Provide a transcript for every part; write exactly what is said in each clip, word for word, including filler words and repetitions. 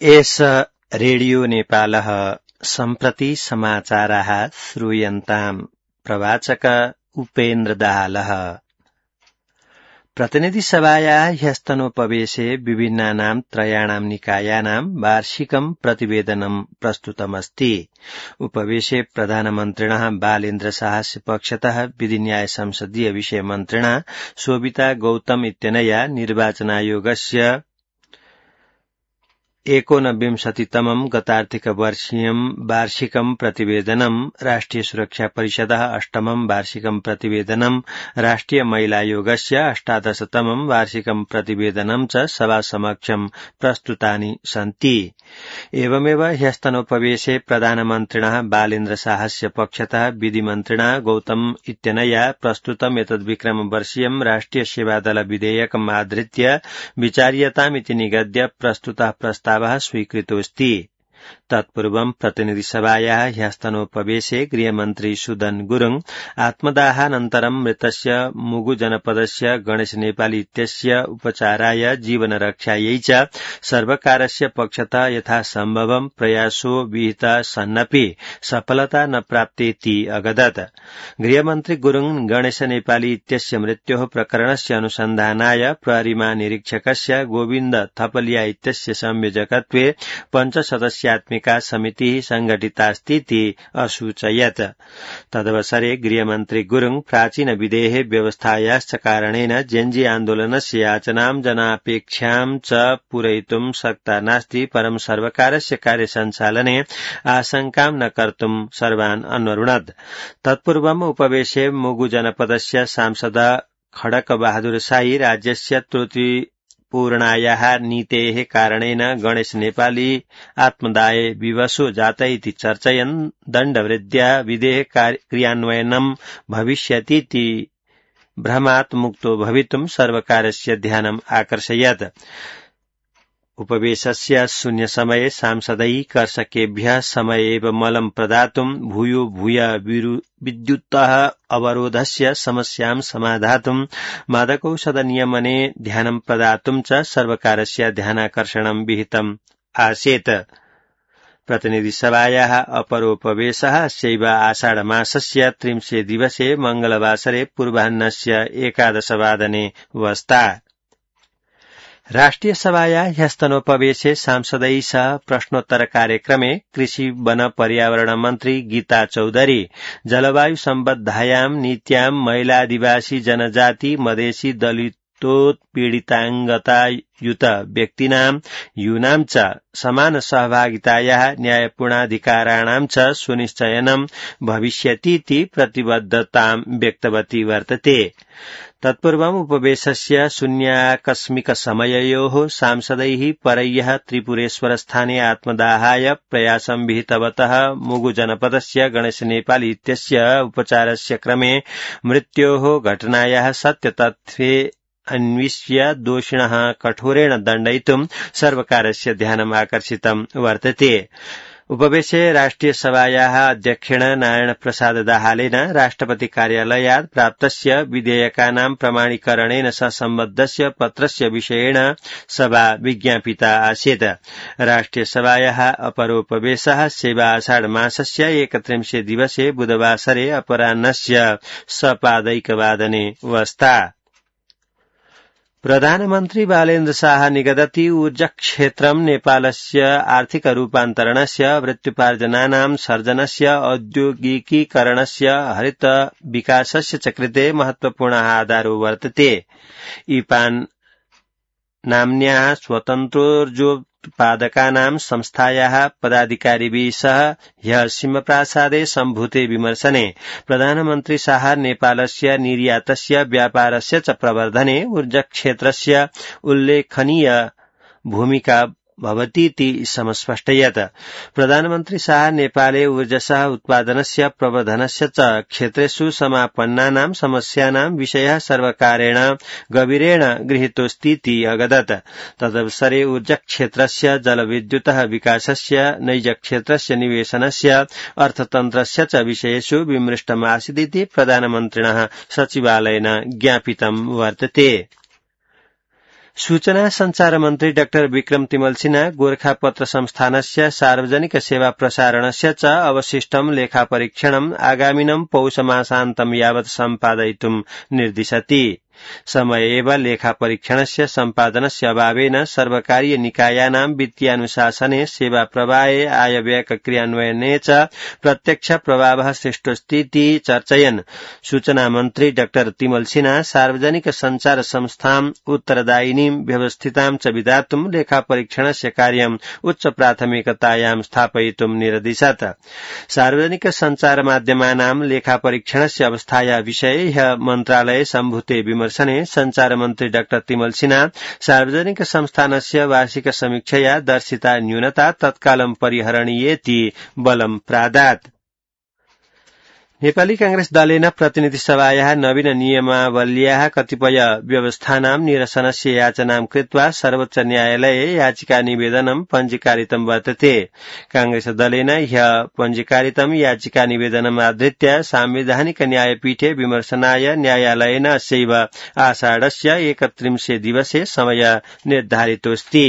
एष रेडियो नेपालः सम्प्रति समाचाराः श्रूयन्ताम्। प्रवाचक उपेन्द्र दाहालः। प्रतिनिधिसभायाः ह्यस्तनोपवेशे विभिन्नानां त्रयाणां निकायानां वार्षिकं प्रतिवेदनं प्रस्तुतमस्ति। उपवेशे प्रधानमन्त्रिणः बालेन्द्र शाहस्य पक्षतः विधिन्याय संसदीय विषय मन्त्रिणा शोभिता गौतम इत्यनया निर्वाचनायोगस्य एकोनविंशतितमं गतार्थिकवर्षीयं वार्षिकं प्रतिवेदनं, राष्ट्रिय सुरक्षा परिषदः अष्टमं वार्षिकं प्रतिवेदनं, राष्ट्रिय महिलायोगस्य अष्टादशतमं वार्षिकं प्रतिवेदनं च सभासमक्षं प्रस्तुतानि सन्ति। एवमेव ह्यस्तनोपवेशे प्रधानमन्त्रिणः बालेन्द्र शाहस्य पक्षतः विधिमन्त्रिणा गौतम इत्यनया प्रस्तुतम् एतद्विक्रमवर्षीयं राष्ट्रिय सेवादल विधेयकम् आधृत्य विचार्यतामिति निगद्य प्रस्तुतः प्रस्तावः स्वीकृतोऽस्ति। तत्पूर्वं प्रतिनिधिसभायाः ह्यस्तनोपवेशे गृहमन्त्री सुदन गुरुङ आत्मदाहानन्तरं मृतस्य मुगु जनपदस्य गणेश नेपाली इत्यस्य उपचाराय जीवनरक्षायै च सर्वकारस्य पक्षतः यथासम्भवं प्रयासो विहितः सन्नपि सफलता न प्राप्तेति अगदत्। गृहमन्त्री गुरुङ गणेश नेपाली इत्यस्य मृत्योः प्रकरणस्य अनुसन्धानाय प्रहरी महानिरीक्षकस्य गोविन्द थपलिया इत्यस्य संयोजकत्वे पञ्चसदस्या त्मिका समितिः संघटितास्तीति असूचयत्। तदवसरे गृहमन्त्री गुरुङ प्राचीन विधेः व्यवस्थायाश्च कारणेन जेन्जी आन्दोलनस्य याचनां जनापेक्षां च पूरयितुं शक्ता नास्ति, परं सर्वकारस्य कार्यसञ्चालने आशंकां न कर्तुं सर्वान् अन्वरुणत्। तत्पूर्वम् उपवेशे मुगु जनपदस्य सांसद खडक बहादुर शाही राज्यस्य त्रुटि पूर्णायाः नीतेः कारणेन गणेश नेपाली आत्मदाये विवशो जात इति चर्चयन् दण्डवृद्ध्या विधेः क्रियान्वयनं भविष्यतीति भ्रमात् मुक्तो भवितुं सर्वकारस्य ध्यानम् आकर्षयत्। उपवेशस्य शून्यसमये सांसदैः कर्षकेभ्यः समय एव मलं प्रदातुं भूयो भूय विद्युतः अवरोधस्य समस्यां समाधातुं मादकौषधनियमने ध्यानं प्रदातुं च सर्वकारस्य ध्यानाकर्षणं विहितम् आसीत्। प्रतिनिधिसभायाः अपरोपवेशः अस्यैव आषाढमासस्य त्रिंशे दिवसे मंगलवासरे पूर्वाह्नस्य एकादशवादने वस्ता। राष्ट्रिय सभायाः ह्यस्तनोपवेशे सांसदैः सह प्रश्नोत्तर कार्यक्रमे कृषि वन पर्यावरण मन्त्री गीता चौधरी जलवायु सम्बद्धायां नीत्यां महिलादिवासी जनजाति मधेसी दलितोत्पीडिताङ्गतायुत व्यक्तीनां यूनां च समान सहभागितायाः न्यायपूर्णाधिकाराणां च सुनिश्चयनं भविष्यतीति प्रतिबद्धतां व्यक्तवती वर्तते। तत्पूर्वम् उपवेशस्य शून्याकस्मिक समययोः सांसदैः परह्यः त्रिपुरेश्वरस्थाने आत्मदाहाय प्रयासं विहितवतः मुगु जनपदस्य गणेश नेपाली इत्यस्य उपचारस्य क्रमे मृत्योः घटनायाः सत्यतथ्ये अन्विष्य दोषिणः कठोरेण दण्डयितुं सर्वकारस्य ध्यानम् आकर्षितं वर्तते। उपवेशे राष्ट्रिय सभायाः अध्यक्षेण नारायण प्रसाद दाहालेन राष्ट्रपति कार्यालयात् प्राप्तस्य विधेयकानां प्रमाणीकरणेन सह सम्बद्धस्य पत्रस्य विषयेण सभा विज्ञापिता आसीत्। राष्ट्रिय सभायाः अपरोपवेशः सेवा आषाढ मासस्य एकत्रिंशे दिवसे बुधवासरे अपराह्नस्य सपादैकवादने वस्ता। प्रधानमन्त्री बालेन्द्र शाह निगदति ऊर्जाक्षेत्रं नेपालस्य आर्थिक रूपान्तरणस्य वृत्त्युपार्जनानां सर्जनस्य औद्योगिकीकरणस्य हरित विकासस्य च कृते महत्वपूर्णः आधारो वर्तते। इपान नाम्न्याः स्वतन्त्रोर्जोत्पादकानां संस्थायाः पदाधिकारिभिः सह ह्यः सिंहप्रासादे सम्भूते विमर्शने प्रधानमन्त्री शाह नेपालस्य निर्यातस्य व्यापारस्य च प्रवर्धने ऊर्जाक्षेत्रस्य उल्लेखनीय भूमिका भवतीति समस्पष्टयत्। प्रधानमन्त्री शाह नेपाले ऊर्जसः उत्पादनस्य प्रवर्धनस्य च क्षेत्रेषु समापन्नानां समस्यानां विषयः सर्वकारेण गभीरेण गृहीतोऽस्तीति अगदत्। तदवसरे ऊर्जाक्षेत्रस्य जलविद्युतः विकासस्य नैजक्षेत्रस्य निवेशनस्य अर्थतन्त्रस्य च विषयेषु विमृष्टमासीदिति प्रधानमन्त्रिणः सचिवालयेन ज्ञापितं वर्तते। सूचना संचार मन्त्री डाक्टर विक्रम तिमल सिन्हा गोरखापत्र संस्थानस्य सार्वजनिक सेवा प्रसारणस्य च अवशिष्टं लेखापरीक्षणम् आगामिनं पौषमासान्तं यावत् सम्पादयितुं निर्दिशति। समय एव लेखापरीक्षणस्य सम्पादनस्य अभावेन सर्वकारीय निकायानां वित्तीयानुशासने सेवा प्रवाहे आयव्यय क्रियान्वयने च प्रत्यक्ष प्रभावः सृष्टोस्तीति चर्चयन् सूचना मन्त्री डाक्टर तिमल सिन्हा सार्वजनिक संचार संस्थाम् उत्तरदायिनीं व्यवस्थितां च विधातुं लेखापरीक्षणस्य कार्यम् उच्च प्राथमिकतायां स्थापयितुं निरदिशत्। सार्वजनिक संचार माध्यमानां लेखापरीक्षणस्य अवस्थाया विषये ह्यः मन्त्रालये सम्भूते विमर्शने संचार मन्त्री डाक्टर तिमल सिन्हा सार्वजनिक संस्थानस्य वार्षिक समीक्षया दर्शिता न्यूनता तत्कालं परिहरणीयेति बलं प्रादात्। नेपाली कांग्रेस दलेन प्रतिनिधि सभायाः नवीन नियमावल्याः कतिपय व्यवस्थानां निरसनस्य याचनां कृत्वा सर्वोच्च न्यायालये याचिका निवेदनं पञ्जीकारितं वर्तते। कांग्रेस दलेन ह्यः पञ्जीकारितं याचिका निवेदनम् आधृत्य सांविधानिक न्यायपीठे विमर्शनाय न्यायालयेन अस्यैव आषाढस्य एकत्रिंशे दिवसे समय निर्धारितोऽस्ति।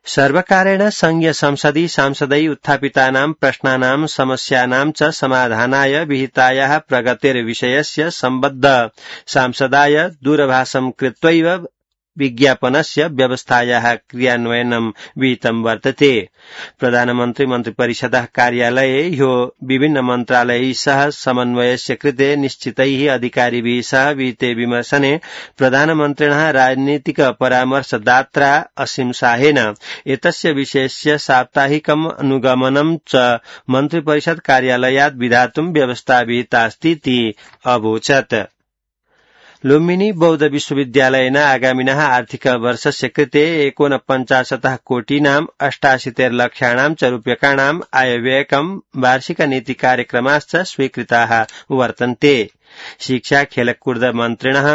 सर्वकारेण संघीय संसदि सांसदै उत्थापितानां प्रश्नानां समस्यानां च समाधानाय विहितायाः प्रगतेर्विषयस्य सम्बद्ध सांसदाय दूरभाषं कृत्वैव विज्ञापनस्य व्यवस्थायाः क्रियान्वयनं विहितं वर्तते। प्रधानमन्त्री मन्त्रिपरिषदः कार्यालये ह्यो विभिन्न मन्त्रालयैः सह समन्वयस्य कृते निश्चितैः अधिकारिभिः सह विहिते विमर्शने प्रधानमन्त्रिणः राजनीतिक परामर्शदात्रा असीम शाहेन एतस्य विषयस्य साप्ताहिकम् अनुगमनं च मन्त्रिपरिषद कार्यालयात् विधातुं व्यवस्था विहितास्तीति अवोचत्। लुम्बिनी बौद्ध विश्वविद्यालयेन आगामिनः आर्थिक वर्षस्य कृते एकोनपञ्चाशत् कोटीनां अष्टाशीतिर्लक्षाणां च रूप्यकाणाम् आयव्ययकं वार्षिक नीति कार्यक्रमाश्च स्वीकृताः वर्तन्ते। शिक्षा खेलकूद मन्त्रिणः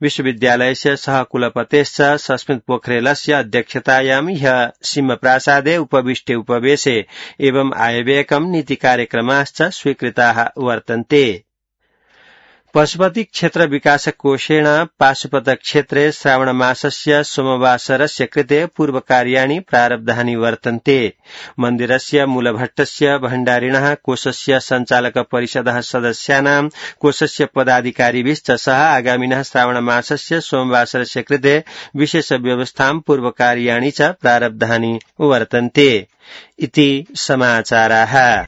विश्वविद्यालयस्य सहकुलपतेश्च सस्मित पोखरेलस्य अध्यक्षतायां ह्यः सिंहप्रासादे उपविष्टे उपवेशे एवं आयव्ययकं नीति कार्यक्रमाश्च स्वीकृताः वर्तन्ते। पशुपति क्षेत्र विकास कोषेण पाशुपत क्षेत्रे श्रावण मासस्य सोमवासरस्य कृते पूर्वकार्याणि प्रारब्धानि वर्तन्ते। मन्दिरस्य मूलभट्टस्य भण्डारिणः कोषस्य सञ्चालक परिषदः सदस्यानां कोषस्य पदाधिकारिभिश्च सह आगामिनः श्रावण मासस्य सोमवासरस्य कृते विशेष व्यवस्थां पूर्वकार्याणि च प्रारब्धानि वर्तन्ते इति समाचाराः।